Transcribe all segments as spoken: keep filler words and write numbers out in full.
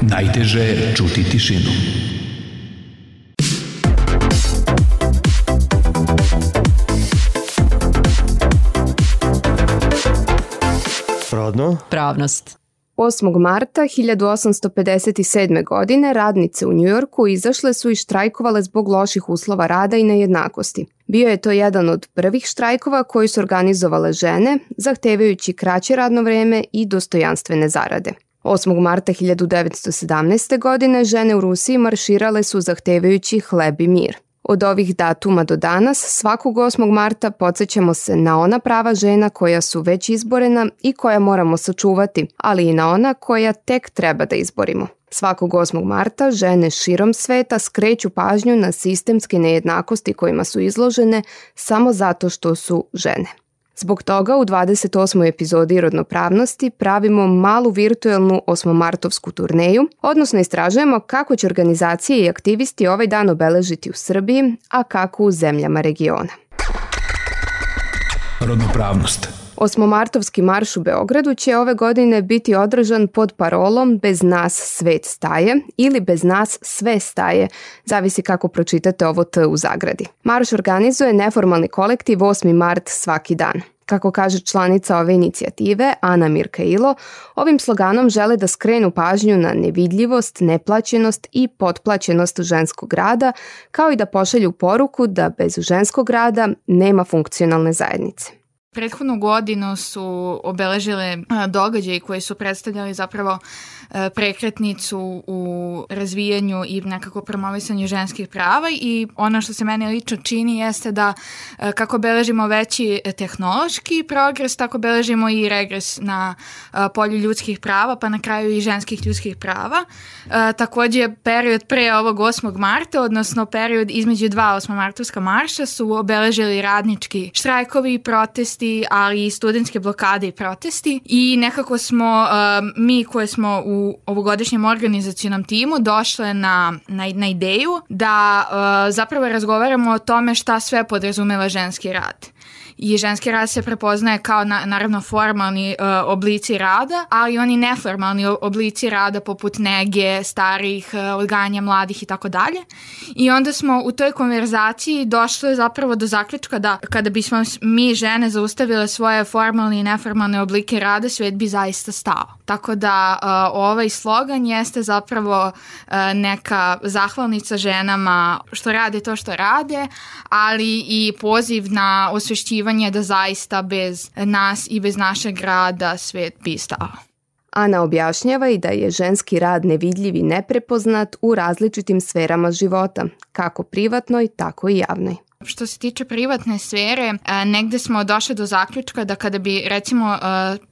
Najteže je čuti tišinu. Rodno. Pravnost. osmog marta hiljadu osamsto pedeset sedme. godine radnice u Njujorku izašle su i štrajkovale zbog loših uslova rada i nejednakosti. Bio je to jedan od prvih štrajkova koji su organizovale žene, zahtevajući kraće radno vreme i dostojanstvene zarade. osmog marta hiljadu devetsto sedamnaeste. godine žene u Rusiji marširale su zahtevajući hleb i mir. Od ovih datuma do danas, svakog osmog marta podsjećamo se na ona prava žena koja su već izborena i koja moramo sačuvati, ali i na ona koja tek treba da izborimo. Svakog osmog marta žene širom sveta skreću pažnju na sistemske nejednakosti kojima su izložene samo zato što su žene. Zbog toga u dvadeset osmoj epizodi Rodnopravnosti pravimo malu virtuelnu osmomartovsku turneju, odnosno istražujemo kako će organizacije i aktivisti ovaj dan obeležiti u Srbiji, a kako u zemljama regiona. Rodnopravnost. Osmomartovski marš u Beogradu će ove godine biti održan pod parolom Bez nas svet staje ili Bez nas sve staje, zavisi kako pročitate ovo T u zagradi. Marš organizuje neformalni kolektiv osmi mart svaki dan. Kako kaže članica ove inicijative, Ana Mirkailo, ovim sloganom žele da skrenu pažnju na nevidljivost, neplaćenost i potplaćenost ženskog rada, kao i da pošalju poruku da bez ženskog rada nema funkcionalne zajednice. Prethodnu godinu su obeležile događaji koji su predstavljali zapravo prekretnicu u razvijanju i nekako promovisanju ženskih prava i ono što se meni lično čini jeste da kako beležimo veći tehnološki progres, tako beležimo i regres na polju ljudskih prava, pa na kraju i ženskih ljudskih prava. Također period pre ovog osmog marta, odnosno period između dva osmomartovska marša su obeležili radnički štrajkovi i protesti, ali i studentske blokade i protesti i nekako smo mi koje smo u u ovogodišnjem organizacionom timu došle na, na, na ideju da uh, zapravo razgovaramo o tome šta sve podrazumeva ženski rad. I ženski rad se prepoznaje kao na, naravno formalni uh, oblici rada, ali i oni neformalni oblici rada poput nege, starih, uh, odgajanja mladih i tako dalje. I onda smo u toj konverzaciji došli zapravo do zaključka da kada bismo mi žene zaustavile svoje formalne i neformalne oblike rada, svet bi zaista stao. Tako da uh, ovaj slogan jeste zapravo uh, neka zahvalnica ženama što rade to što rade, ali i poziv na osvešćivanje da zaista bez nas i bez našeg rada svet bi stao. Ana objašnjava i da je ženski rad nevidljiv i neprepoznat u različitim sferama života, kako privatnoj, tako i javnoj. Što se tiče privatne sfere, negde smo došli do zaključka da kada bi recimo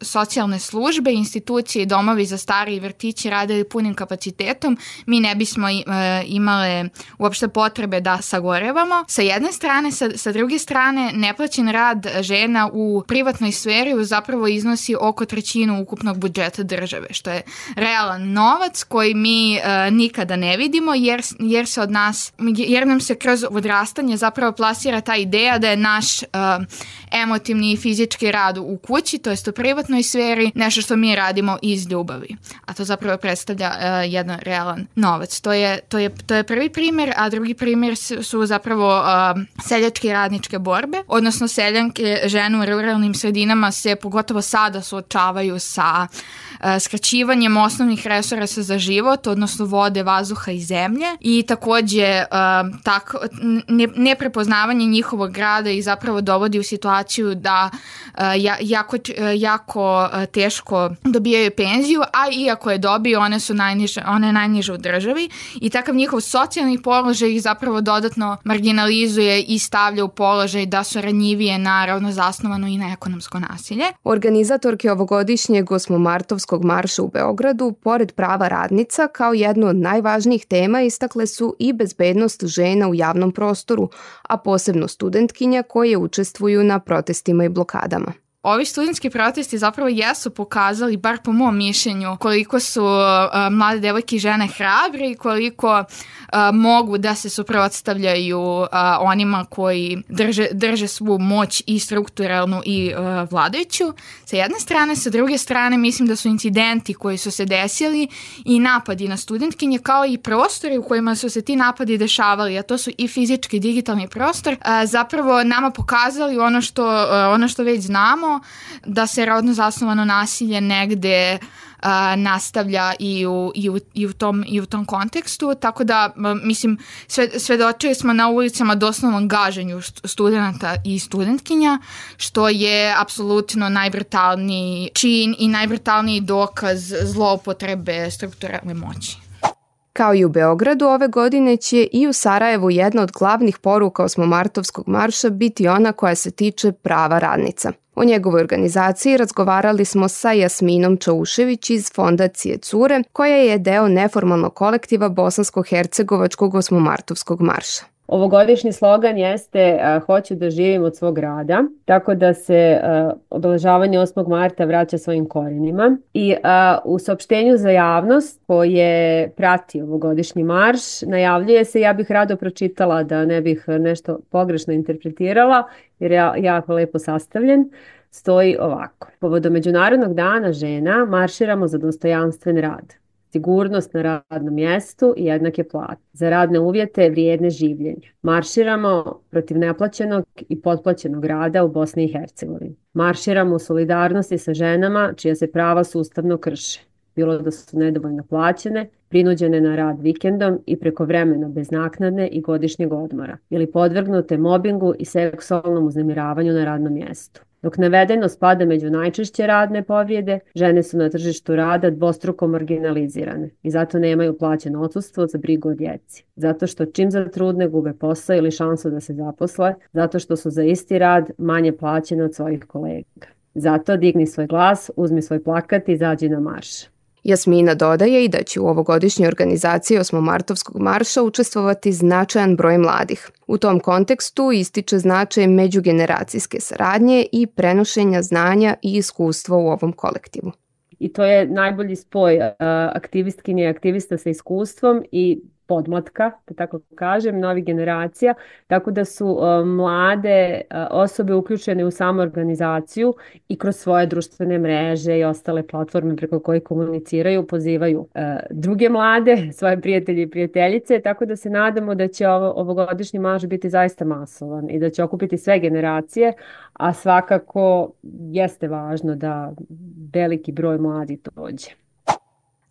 socijalne službe, institucije i domovi za stari i vrtići radili punim kapacitetom, mi ne bismo imale uopšte potrebe da sagorevamo. Sa jedne strane, sa, sa druge strane, neplaćen rad žena u privatnoj sferi zapravo iznosi oko trećinu ukupnog budžeta države, što je realan novac koji mi nikada ne vidimo jer, jer se od nas, jer nam se kroz odrastanje zapravo plasira ta ideja da je naš uh, emotivni i fizički rad u kući, to jest u privatnoj sferi, nešto što mi radimo iz ljubavi. A to zapravo predstavlja uh, jedan realan novac. To je, to je, to je prvi primjer, a drugi primjer su, su zapravo uh, seljačke radničke borbe, odnosno seljanke žene u ruralnim sredinama se pogotovo sada suočavaju sa uh, skraćivanjem osnovnih resursa za život, odnosno vode, vazduha i zemlje i takođe uh, tako, ne, ne prepoznavanje njihovog rada i zapravo dovodi u situaciju da uh, jako, jako teško dobijaju penziju, a iako je dobiju, one su najniže, one najniže u državi i takav njihov socijalni položaj ih zapravo dodatno marginalizuje i stavlja u položaj da su ranjivije na ravno zasnovano i na ekonomsko nasilje. Organizatorke ovogodišnjeg osmomartovskog marša u Beogradu, pored prava radnica, kao jednu od najvažnijih tema istakle su i bezbednost žena u javnom prostoru, a posebno studentkinja koje učestvuju na protestima i blokadama. ovi studentski protesti zapravo jesu pokazali, bar po mom mišljenju, koliko su uh, mlade devojke i žene hrabre i koliko uh, mogu da se suprotstavljaju uh, onima koji drže, drže svu moć i strukturalnu i uh, vladajuću. Sa jedne strane, sa druge strane mislim da su incidenti koji su se desili i napadi na studentkinje kao i prostori u kojima su se ti napadi dešavali, a to su i fizički i digitalni prostor, uh, zapravo nama pokazali ono što, uh, ono što već znamo, da se rodno zasnovano nasilje negde uh, nastavlja i u, i, u, i, u tom, i u tom kontekstu, tako da mislim sve, svedočili smo na ulicama doslovnom gaženju studenta i studentkinja, što je apsolutno najbrutalniji čin i najbrutalniji dokaz zloupotrebe strukturalne moći. Kao i u Beogradu, ove godine će i u Sarajevu jedna od glavnih poruka osmomartovskog marša biti ona koja se tiče prava radnica. O njegovoj organizaciji razgovarali smo sa Jasminom Čaušević iz fondacije Cure, koja je deo neformalnog kolektiva Bosansko-hercegovačkog osmomartovskog marša. Ovogodišnji slogan jeste uh, hoću da živim od svog rada, tako da se uh, obeležavanje osmog marta vraća svojim korenima. I uh, u saopštenju za javnost koje prati ovogodišnji marš najavljuje se, ja bih rado pročitala da ne bih nešto pogrešno interpretirala, jer je jako lepo sastavljen, stoji ovako. Povodom Međunarodnog dana žena marširamo za dostojanstven rad, sigurnost na radnom mjestu i jednake plate, za radne uvjete vrijedne življenja. Marširamo protiv neplaćenog i potplaćenog rada u Bosni i Hercegovini. Marširamo u solidarnosti sa ženama čija se prava sustavno krše, bilo da su nedovoljno plaćene, prinuđene na rad vikendom i prekovremeno bez naknadne i godišnjeg odmora, ili podvrgnute mobingu i seksualnom uznemiravanju na radnom mjestu. Dok navedeno spada među najčešće radne povrijede, žene su na tržištu rada dvostruko marginalizirane i zato nemaju plaćeno odsustvo za brigu o djeci. Zato što čim zatrudne gube posao ili šansu da se zaposle, zato što su za isti rad manje plaćene od svojih kolega. Zato digni svoj glas, uzmi svoj plakat i izađi na marš. Jasmina dodaje i da će u ovogodišnjoj organizaciji osmomartovskog marša učestvovati značajan broj mladih. U tom kontekstu ističe značaj međugeneracijske saradnje i prenošenja znanja i iskustva u ovom kolektivu. I to je najbolji spoj aktivistkinje i aktivista sa iskustvom i podmlatka, da tako kažem, novih generacija, tako da su uh, mlade uh, osobe uključene u samu organizaciju i kroz svoje društvene mreže i ostale platforme preko koje komuniciraju, pozivaju uh, druge mlade, svoje prijatelje i prijateljice, tako da se nadamo da će ovo, ovogodišnji marš biti zaista masovan i da će okupiti sve generacije, a svakako jeste važno da veliki broj mladih dođe.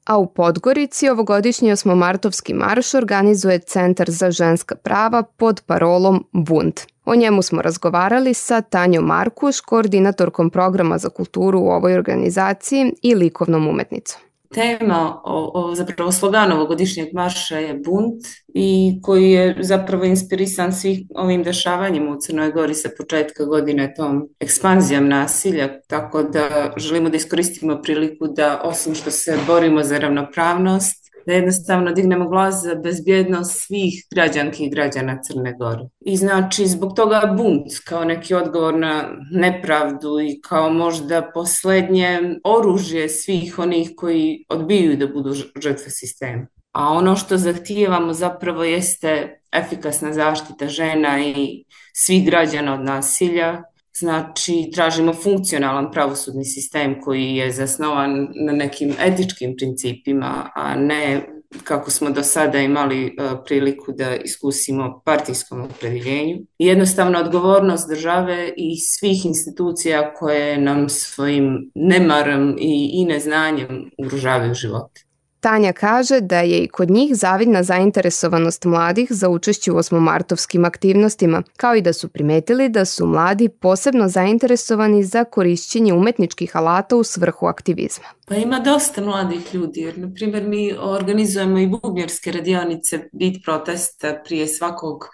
A u Podgorici ovogodišnji osmomartovski marš organizuje Centar za ženska prava pod parolom Bunt. O njemu smo razgovarali sa Tanjom Markuš, koordinatorkom programa za kulturu u ovoj organizaciji i likovnom umetnicom. Tema, o, o, zapravo slogan ovogodišnjeg marša je bunt i koji je zapravo inspirisan svih ovim dešavanjima u Crnoj Gori sa početka godine, tom ekspanzijom nasilja, tako da želimo da iskoristimo priliku da osim što se borimo za ravnopravnost, da jednostavno dignemo glas za bezbjednost svih građanki i građana Crne Gore. I znači zbog toga bunt kao neki odgovor na nepravdu i kao možda posljednje oružje svih onih koji odbijaju da budu žrtve sistema. A ono što zahtijevamo zapravo jeste efikasna zaštita žena i svih građana od nasilja. Znači, tražimo funkcionalan pravosudni sistem koji je zasnovan na nekim etičkim principima, a ne kako smo do sada imali uh, priliku da iskusimo partijskom opredjeljenju. Jednostavno odgovornost države i svih institucija koje nam svojim nemarom i, i neznanjem ugrožavaju živote. Tanja kaže da je i kod njih zavidna zainteresovanost mladih za učešće u osmomartovskim aktivnostima, kao i da su primetili da su mladi posebno zainteresovani za korišćenje umetničkih alata u svrhu aktivizma. Pa ima dosta mladih ljudi, jer na primjer mi organizujemo i bubnjarske radionice Bit protesta prije svakog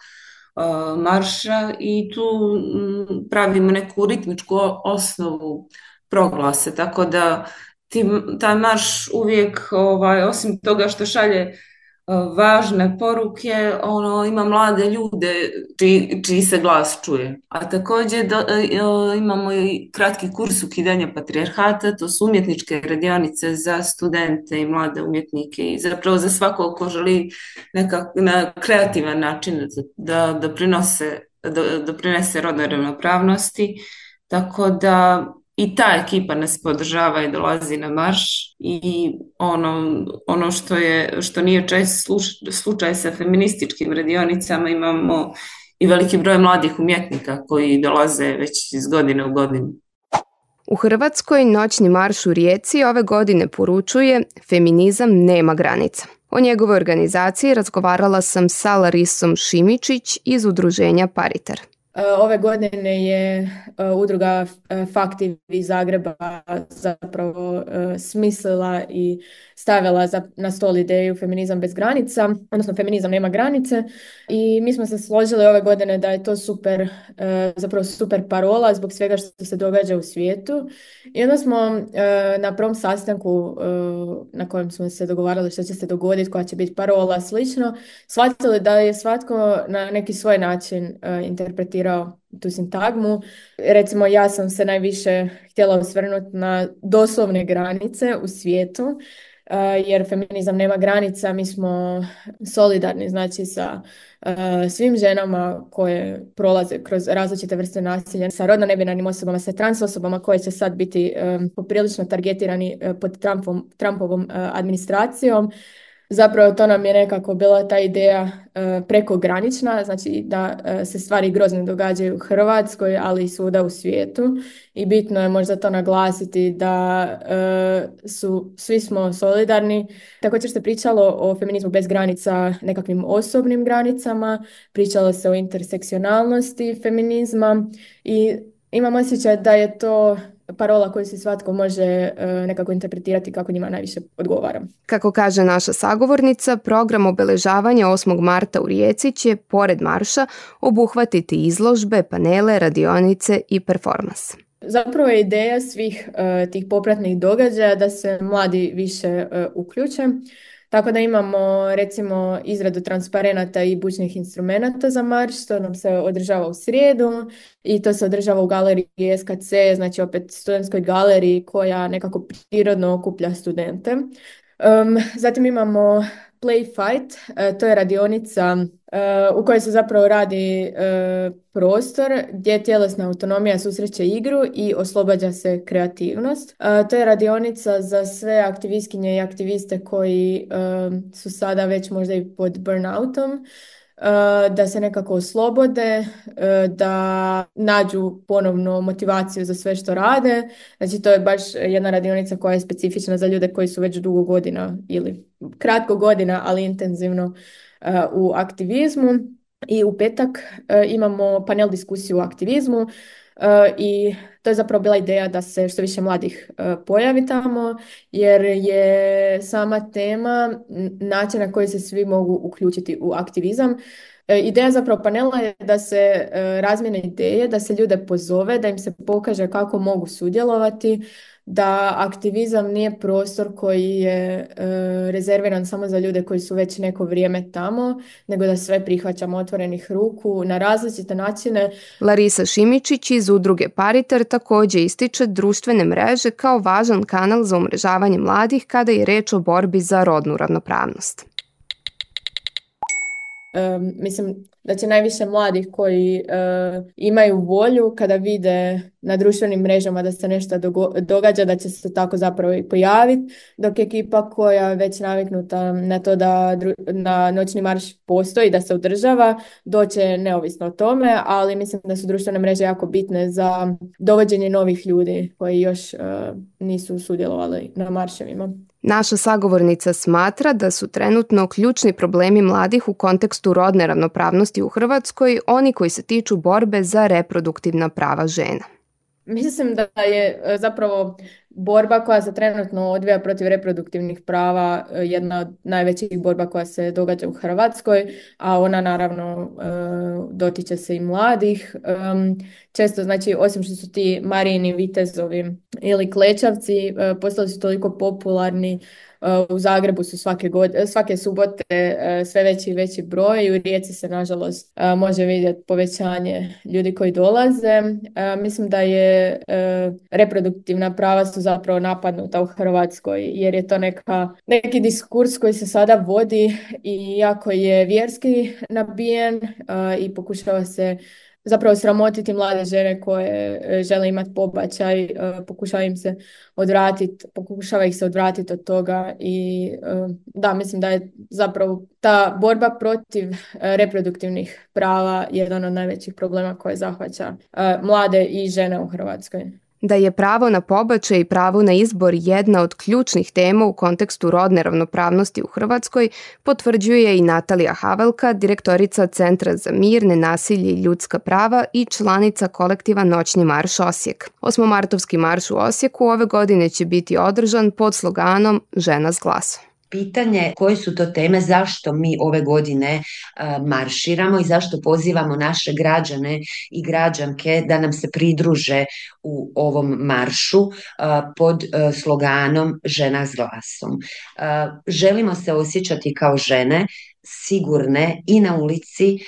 uh, marša i tu m, pravimo neku ritmičku osnovu proglase, tako da Ti, taj marš uvijek, ovaj, osim toga što šalje važne poruke, ono, ima mlade ljude čiji, čiji se glas čuje. A također do, imamo i kratki kurs ukidanja patrijarhata, to su umjetničke radionice za studente i mlade umjetnike i zapravo za svako ko želi nekak, na kreativan način da doprinose, da doprinese rodnoj ravnopravnosti. Tako da i ta ekipa nas podržava i dolazi na marš i ono, ono što je, što nije čest slučaj sa feminističkim radionicama, imamo i veliki broj mladih umjetnika koji dolaze već iz godine u godinu. U Hrvatskoj noćni marš u Rijeci ove godine poručuje feminizam nema granica. O njegovoj organizaciji razgovarala sam sa Larisom Šimičić iz udruženja Paritar. Ove godine je udruga Fakti iz Zagreba zapravo smislila i stavila na stol ideju feminizam bez granica, odnosno feminizam nema granice, i mi smo se složili ove godine da je to super, zapravo super parola zbog svega što se događa u svijetu. I onda smo na prvom sastanku na kojem smo se dogovarali što će se dogoditi, koja će biti parola, slično, shvatili da je svatko na neki svoj način interpretirao tu sintagmu. Recimo, ja sam se najviše htjela osvrnuti na doslovne granice u svijetu, jer feminizam nema granica, mi smo solidarni, znači, sa uh, svim ženama koje prolaze kroz različite vrste nasilja, sa rodno nebinarnim osobama, sa trans osobama koje će sad biti um, poprilično targetirani uh, pod Trumpom, Trumpovom uh, administracijom. Zapravo to nam je nekako bila ta ideja uh, prekogranična, znači da uh, se stvari grozne događaju u Hrvatskoj, ali i svuda u svijetu, i bitno je možda to naglasiti da uh, su, svi smo solidarni. Također se pričalo o feminizmu bez granica, nekakvim osobnim granicama, pričalo se o intersekcionalnosti feminizma i imam osjećaj da je to parola koju se svatko može uh, nekako interpretirati kako njima najviše odgovara. Kako kaže naša sagovornica, program obeležavanja osmog marta u Rijeci će, pored marša, obuhvatiti izložbe, panele, radionice i performans. Zapravo je ideja svih uh, tih popratnih događaja da se mladi više uh, uključe. Tako da imamo, recimo, izradu transparenata i bučnih instrumenata za marš, to nam se održava u srijedu i to se održava u galeriji S K C, znači opet studentskoj galeriji koja nekako prirodno okuplja studente. Um, zatim imamo Play Fight, uh, to je radionica uh, u kojoj se zapravo radi uh, prostor gdje tjelesna autonomija susreće igru i oslobađa se kreativnost. Uh, to je radionica za sve aktivistkinje i aktiviste koji uh, su sada već možda i pod burnoutom, da se nekako oslobode, da nađu ponovno motivaciju za sve što rade. Znači to je baš jedna radionica koja je specifična za ljude koji su već dugo godina ili kratko godina, ali intenzivno u aktivizmu. I u petak imamo panel diskusiju o aktivizmu i to je zapravo bila ideja da se što više mladih pojavi tamo, jer je sama tema način na koji se svi mogu uključiti u aktivizam. Ideja zapravo panela je da se razmijene ideje, da se ljude pozove, da im se pokaže kako mogu sudjelovati, da aktivizam nije prostor koji je e, rezerviran samo za ljude koji su već neko vrijeme tamo, nego da sve prihvaćamo otvorenih ruku na različite načine. Larisa Šimičić iz udruge Paritar također ističe društvene mreže kao važan kanal za umrežavanje mladih kada je reč o borbi za rodnu ravnopravnost. Um, mislim da će najviše mladih koji uh, imaju volju kada vide na društvenim mrežama da se nešto dogo- događa, da će se tako zapravo i pojaviti, dok ekipa koja je već naviknuta na to da dru- na noćni marš postoji, da se održava, doće neovisno o tome, ali mislim da su društvene mreže jako bitne za dovođenje novih ljudi koji još uh, nisu sudjelovali na marševima. Naša sagovornica smatra da su trenutno ključni problemi mladih u kontekstu rodne ravnopravnosti u Hrvatskoj oni koji se tiču borbe za reproduktivna prava žena. Mislim da je zapravo borba koja se trenutno odvija protiv reproduktivnih prava jedna od najvećih borba koja se događa u Hrvatskoj, a ona naravno dotiče se i mladih. Često, znači, osim što su ti Marijini vitezovi ili klečavci postali su toliko popularni, u Zagrebu su svake, godine, svake subote sve veći i veći broj i u Rijeci se nažalost može vidjeti povećanje ljudi koji dolaze. Mislim da je reproduktivna prava su zapravo napadnuta u Hrvatskoj jer je to neka, neki diskurs koji se sada vodi i jako je vjerski nabijen i pokušava se zapravo sramotiti mlade žene koje žele imati pobačaj, pokušava im se odvratiti, pokušava ih se odvratiti od toga i da, mislim da je zapravo ta borba protiv reproduktivnih prava jedan od najvećih problema koje zahvaća mlade i žene u Hrvatskoj. Da je pravo na pobačaj i pravo na izbor jedna od ključnih tema u kontekstu rodne ravnopravnosti u Hrvatskoj, potvrđuje i Natalija Havelka, direktorica Centra za mir, nenasilje i ljudska prava i članica kolektiva Noćni marš Osijek. Osmomartovski marš u Osijeku ove godine će biti održan pod sloganom Žena s glasom. Pitanje koje su to teme, zašto mi ove godine uh, marširamo i zašto pozivamo naše građane i građanke da nam se pridruže u ovom maršu uh, pod uh, sloganom Žena s glasom. Uh, želimo se osjećati kao žene, sigurne i na ulici,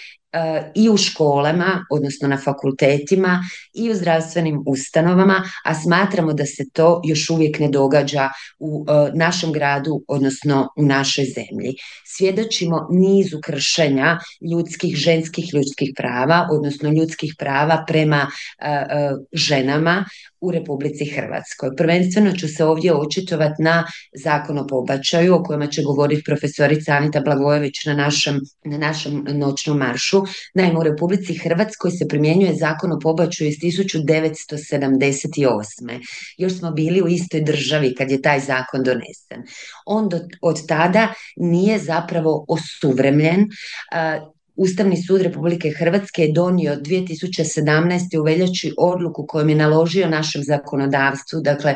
i u školama, odnosno na fakultetima i u zdravstvenim ustanovama, a smatramo da se to još uvijek ne događa u našem gradu, odnosno u našoj zemlji. Svjedočimo nizu kršenja ljudskih, ženskih ljudskih prava, odnosno ljudskih prava prema ženama u Republici Hrvatskoj. Prvenstveno ću se ovdje očitovati na Zakon o pobačaju, o kojima će govoriti profesorica Anita Blagojević na našem, na našem noćnom maršu. Naime, u Republici Hrvatskoj se primjenjuje Zakon o pobačaju iz tisuću devetsto sedamdeset osme. Još smo bili u istoj državi kad je taj zakon donesen. On do, od tada nije zapravo osuvremljen. Uh, Ustavni sud Republike Hrvatske je donio dvije tisuće sedamnaeste. u veljači odluku kojom je naložio našem zakonodavstvu, dakle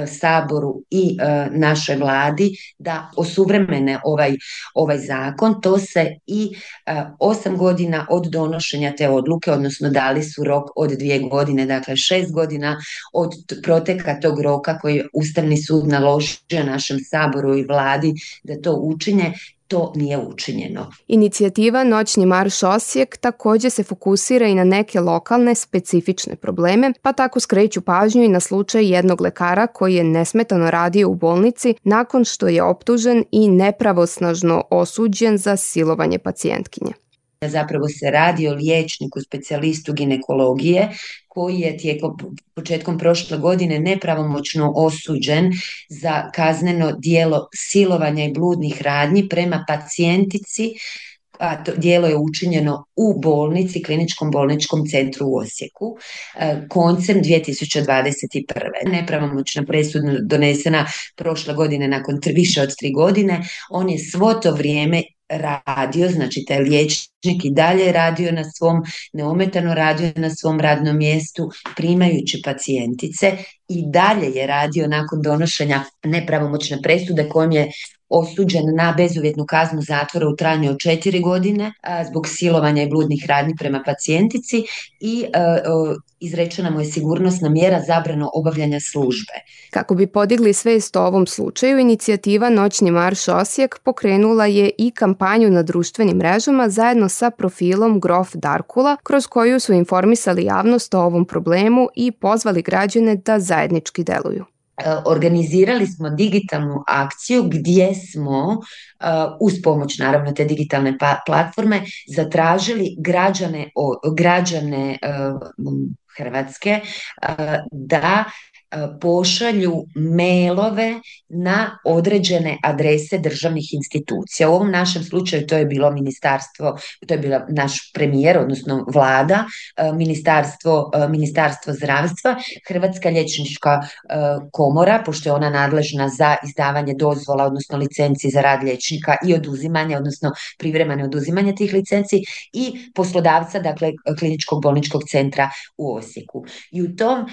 Saboru i e, našoj vladi, da osuvremene ovaj, ovaj zakon. To se i e, osam godina od donošenja te odluke, odnosno dali su rok od dvije godine, dakle šest godina od proteka tog roka koji je Ustavni sud naložio našem Saboru i vladi da to učine. To nije učinjeno. Inicijativa Noćni marš Osijek također se fokusira i na neke lokalne specifične probleme, pa tako skreću pažnju i na slučaj jednog lekara koji je nesmetano radio u bolnici nakon što je optužen i nepravosnažno osuđen za silovanje pacijentkinje. Zapravo se radi o liječniku, specijalistu ginekologije koji je tijekom početkom prošle godine nepravomoćno osuđen za kazneno djelo silovanja i bludnih radnji prema pacijentici, a to djelo je učinjeno u bolnici, kliničkom bolničkom centru u Osijeku, koncem dvije tisuće dvadeset prve. Nepravomoćna presuda donesena prošle godine nakon više od tri godine. On je svo to vrijeme radio, znači taj liječnik i dalje radio na svom, neometano radio na svom radnom mjestu, primajući pacijentice, i dalje je radio nakon donošenja nepravomoćne presude kojom je osuđen na bezuvjetnu kaznu zatvora u trajanju od četiri godine a, zbog silovanja i bludnih radnji prema pacijentici i a, a, izrečena mu je sigurnosna mjera zabrano obavljanja službe. Kako bi podigli svijest o ovom slučaju, inicijativa Noćni marš Osijek pokrenula je i kampanju na društvenim mrežama zajedno sa profilom Grof Darkula, kroz koju su informisali javnost o ovom problemu i pozvali građane da zajednički deluju. Organizirali smo digitalnu akciju gdje smo uh, uz pomoć naravno te digitalne pa- platforme zatražili građane, o, građane uh, Hrvatske uh, da pošalju mailove na određene adrese državnih institucija. U ovom našem slučaju to je bilo ministarstvo, to je bila naš premijer, odnosno vlada, ministarstvo, ministarstvo zdravstva, Hrvatska liječnička komora, pošto je ona nadležna za izdavanje dozvola, odnosno licenci za rad liječnika i oduzimanje, odnosno privremeno oduzimanje tih licenci, i poslodavca, dakle kliničkog bolničkog centra u Osijeku. I u tom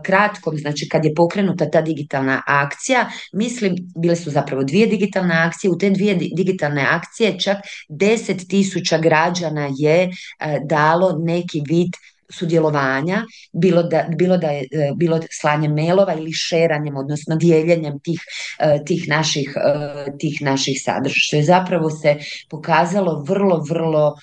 kratkom, znači znači kad je pokrenuta ta digitalna akcija, mislim, bile su zapravo dvije digitalne akcije, u te dvije digitalne akcije čak deset tisuća građana je dalo neki vid sudjelovanja, bilo da, bilo da je bilo slanjem mailova ili šeranjem, odnosno dijeljenjem tih, tih, naših, tih naših sadržaja, što je zapravo se pokazalo vrlo, vrlo,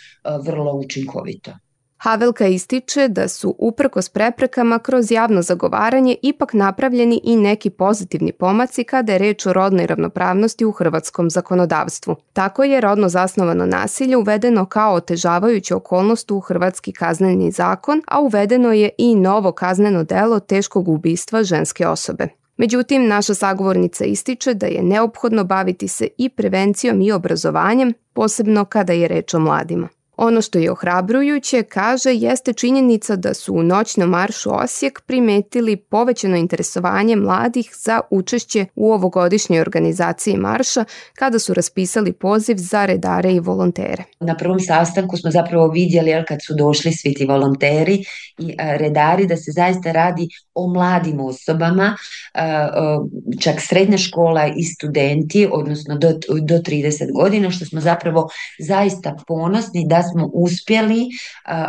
vrlo učinkovito. Havelka ističe da su uprkos preprekama kroz javno zagovaranje ipak napravljeni i neki pozitivni pomaci kada je reč o rodnoj ravnopravnosti u hrvatskom zakonodavstvu. Tako je rodno zasnovano nasilje uvedeno kao otežavajuća okolnost u hrvatski kazneni zakon, a uvedeno je i novo kazneno delo teškog ubistva ženske osobe. Međutim, naša sagovornica ističe da je neophodno baviti se i prevencijom i obrazovanjem, posebno kada je reč o mladima. Ono što je ohrabrujuće, kaže, jeste činjenica da su u noćnom maršu Osijek primetili povećano interesovanje mladih za učešće u ovogodišnjoj organizaciji marša kada su raspisali poziv za redare i volontere. Na prvom sastanku smo zapravo vidjeli, jel, kad su došli svi ti volonteri i a, redari, da se zaista radi o mladim osobama, a, a, čak srednja škola i studenti, odnosno do, do trideset godina, što smo zapravo zaista ponosni da smo uspjeli uh,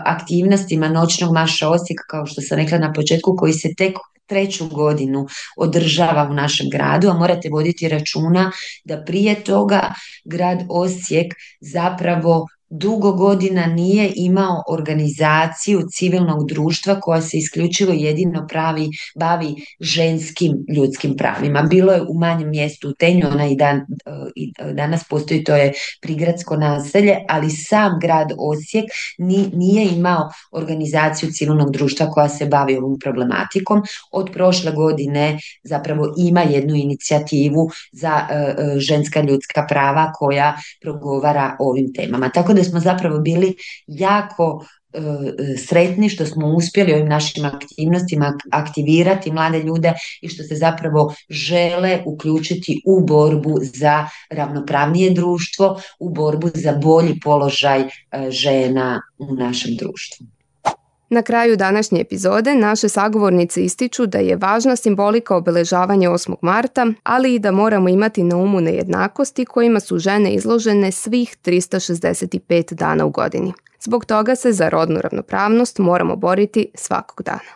aktivnostima noćnog marša Osijek, kao što sam rekla na početku, koji se tek treću godinu održava u našem gradu, a morate voditi računa da prije toga grad Osijek zapravo dugo godina nije imao organizaciju civilnog društva koja se isključivo jedino pravi, bavi ženskim ljudskim pravima. Bilo je u manjem mjestu u Tenju, ona i, dan, i danas postoji, to je prigradsko naselje, ali sam grad Osijek nije imao organizaciju civilnog društva koja se bavi ovom problematikom. Od prošle godine zapravo ima jednu inicijativu za uh, ženska ljudska prava koja progovara o ovim temama. Tako da smo zapravo bili jako e, sretni što smo uspjeli ovim našim aktivnostima aktivirati mlade ljude i što se zapravo žele uključiti u borbu za ravnopravnije društvo, u borbu za bolji položaj e, žena u našem društvu. Na kraju današnje epizode naše sagovornice ističu da je važna simbolika obeležavanja osmog marta, ali i da moramo imati na umu nejednakosti kojima su žene izložene svih tristo šezdeset pet dana u godini. Zbog toga se za rodnu ravnopravnost moramo boriti svakog dana.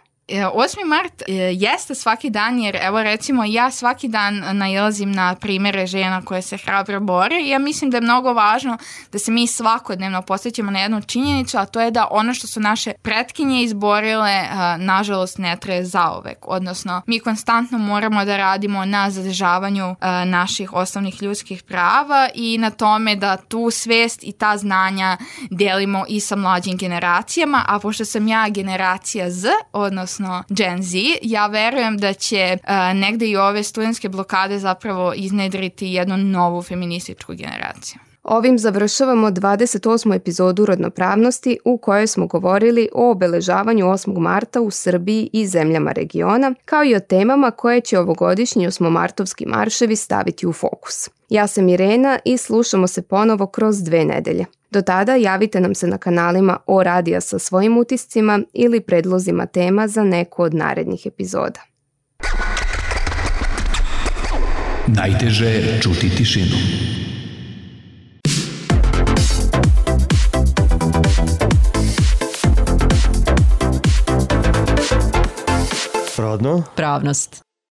osmi mart jeste svaki dan, jer evo recimo ja svaki dan nailazim na primjere žena koje se hrabro bore i ja mislim da je mnogo važno da se mi svakodnevno posjećamo na jednu činjenicu, a to je da ono što su naše pretkinje izborile nažalost ne traje zauvek, odnosno mi konstantno moramo da radimo na zadržavanju naših osnovnih ljudskih prava i na tome da tu svest i ta znanja delimo i sa mlađim generacijama, a pošto sam ja generacija Z, odnosno Gen Z, ja verujem da će uh, negde i ove studentske blokade zapravo iznedriti jednu novu feminističku generaciju. Ovim završavamo dvadeset osmu epizodu Rodnopravnosti u kojoj smo govorili o obeležavanju osmog marta u Srbiji i zemljama regiona, kao i o temama koje će ovogodišnji osmomartovski marševi staviti u fokus. Ja sam Irena i slušamo se ponovo kroz dve nedelje. Do tada javite nam se na kanalima O Radija sa svojim utiscima ili predlozima tema za neku od narednih epizoda. Najteže je čuti tišinu. Rodno. Pravnost.